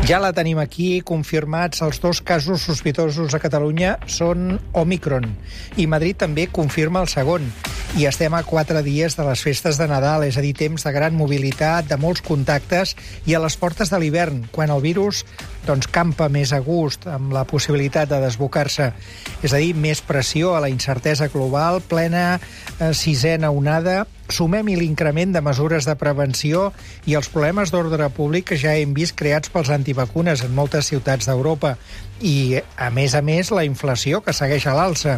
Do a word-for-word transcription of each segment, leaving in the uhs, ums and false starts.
Ja la tenim aquí, confirmats. Els dos casos sospitosos a Catalunya són Omicron. I Madrid també confirma el segon. I estem a quatre dies de les festes de Nadal, és a dir, temps de gran mobilitat, de molts contactes i a les portes de l'hivern, quan el virus doncs, campa més a gust, amb la possibilitat de desbocar-se. És a dir, més pressió a la incertesa global, plena eh, sisena onada. Sumem-hi l'increment de mesures de prevenció i els problemes d'ordre públic que ja hem vist creats pels antivacunes en moltes ciutats d'Europa. I, a més a més, la inflació que segueix a l'alça.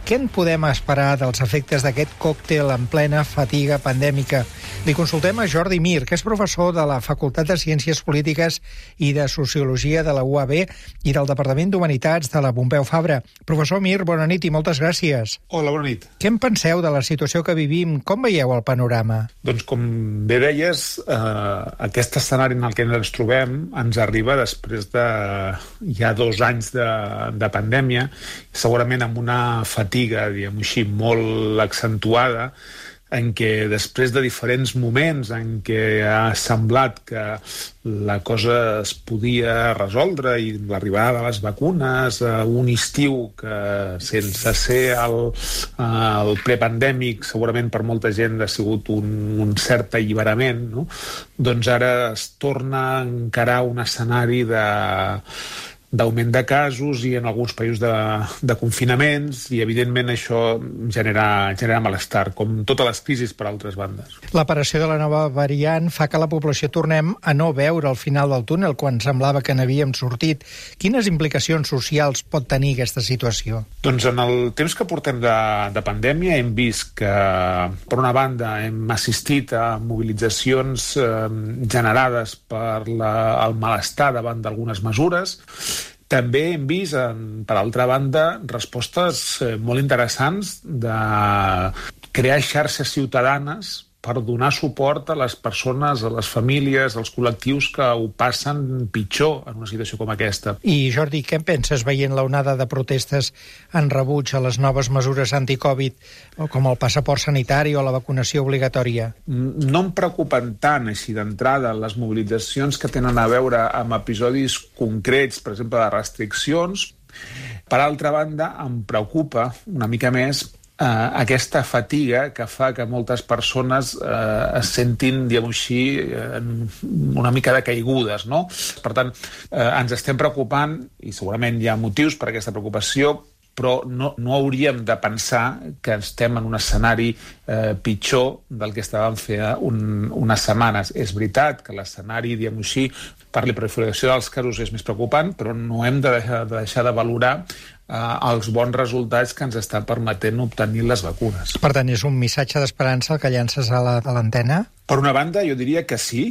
Què en podem esperar dels efectes d'aquest còctel en plena fatiga pandèmica? Li consultem a Jordi Mir, que és professor de la Facultat de Ciències Polítiques i de Sociologia de la U A B i del Departament d'Humanitats de la Pompeu Fabra. Professor Mir, bona nit i moltes gràcies. Hola, bona nit. Què en penseu de la situació que vivim? Com veieu el panorama? Doncs, com bé deies, eh, aquest escenari en el que ens trobem ens arriba després de ja dos anys de, de pandèmia, segurament amb una fatiga, diguem-ho així, molt accentuada, en què després de diferents moments en què ha semblat que la cosa es podia resoldre i l'arribada de les vacunes, un estiu que sense ser el, el prepandèmic segurament per molta gent ha sigut un, un cert alliberament, no? Doncs ara es torna a encarar un escenari de d'augment de casos i en alguns països de, de confinaments i evidentment això genera, genera malestar, com totes les crisis per altres bandes. L'aparició de la nova variant fa que la població tornem a no veure el final del túnel quan semblava que n'havíem sortit. Quines implicacions socials pot tenir aquesta situació? Doncs en el temps que portem de, de pandèmia hem vist que, per una banda, hem assistit a mobilitzacions eh, generades per la, el malestar davant d'algunes mesures. També hem vist, per altra banda, respostes molt interessants de crear xarxes ciutadanes per donar suport a les persones, a les famílies, als col·lectius que ho passen pitjor en una situació com aquesta. I, Jordi, què en penses veient l'onada de protestes en rebuig a les noves mesures anticovid, com el passaport sanitari o la vacunació obligatòria? No em preocupen tant, així d'entrada, les mobilitzacions que tenen a veure amb episodis concrets, per exemple, de restriccions. Per altra banda, em preocupa una mica més Uh, aquesta fatiga que fa que moltes persones uh, es sentin, diguem-ho així, uh, una mica de caigudes, no? Per tant, uh, ens estem preocupant, i segurament hi ha motius per aquesta preocupació, però no, no hauríem de pensar que estem en un escenari eh, pitjor del que estàvem fent un, unes setmanes. És veritat que l'escenari, diguem-ho així, per la proliferació dels casos és més preocupant, però no hem de deixar de, deixar de valorar eh, els bons resultats que ens estan permetent obtenir les vacunes. Per tant, és un missatge d'esperança el que llances a la, a l'antena? Per una banda, jo diria que sí.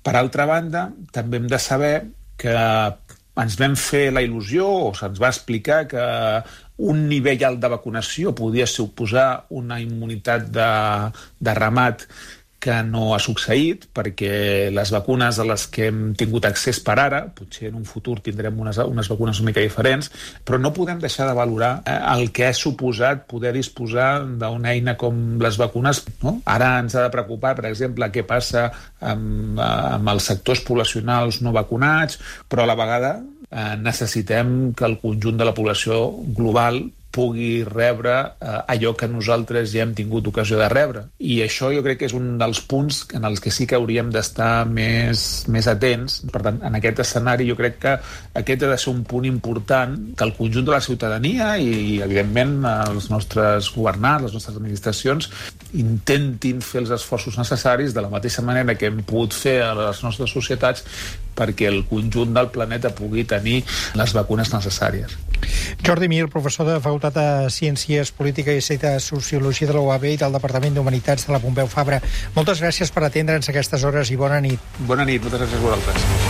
Per altra banda, també hem de saber que ens vam fer la il·lusió, o se'ns va explicar que un nivell alt de vacunació podia suposar una immunitat de, de ramat que no ha succeït, perquè les vacunes a les que hem tingut accés per ara, potser en un futur tindrem unes, unes vacunes una mica diferents, però no podem deixar de valorar eh, el que ha suposat poder disposar d'una eina com les vacunes, no? Ara ens ha de preocupar, per exemple, què passa amb, amb els sectors poblacionals no vacunats, però a la vegada eh, necessitem que el conjunt de la població global pugui rebre eh, allò que nosaltres ja hem tingut ocasió de rebre. I això jo crec que és un dels punts en els que sí que hauríem d'estar més, més atents. Per tant, en aquest escenari jo crec que aquest ha de ser un punt important que el conjunt de la ciutadania i, evidentment, els nostres governants, les nostres administracions, intentin fer els esforços necessaris de la mateixa manera que hem pogut fer a les nostres societats perquè el conjunt del planeta pugui tenir les vacunes necessàries. Jordi Mir, professor de Facultat de Ciències Polítiques i de Sociologia de la U A B i del Departament d'Humanitats de la Pompeu Fabra. Moltes gràcies per atendre'ns a aquestes hores i bona nit. Bona nit, moltes gràcies a vosaltres.